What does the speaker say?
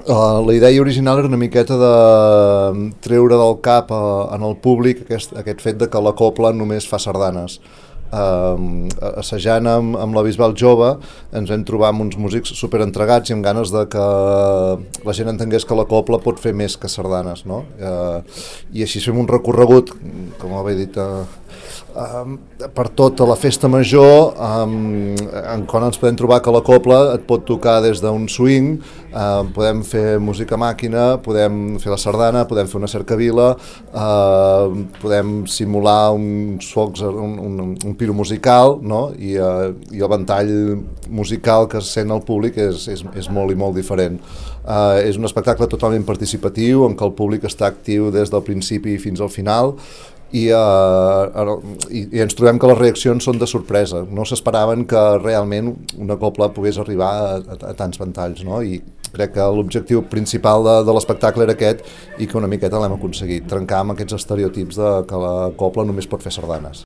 La idea original era una miqueta de treure del cap en el públic aquest fet de que la copla només fa sardanes. Assajant amb la Bisbal Jove ens vam trobar amb uns músics super entregats i amb ganes de que la gent entengués que la copla pot fer més que sardanes, no? I així fem un recorregut, com havia dit, per tota la festa major, en quan ens podem trobar que la copla et pot tocar des d'un swing, podem fer música màquina, podem fer la sardana, podem fer una cercavila, podem simular uns focs, un piro musical, no? I el ventall musical que es sent al públic és molt i molt diferent. És un espectacle totalment participatiu en què el públic està actiu des del principi fins al final, i ens trobem que les reaccions són de sorpresa, no s'esperaven que realment una copla pogués arribar a tants ventalls, no? I crec que l'objectiu principal de l'espectacle era aquest i que una miqueta l'hem aconseguit, trencar amb aquests estereotips de que la copla només pot fer sardanes.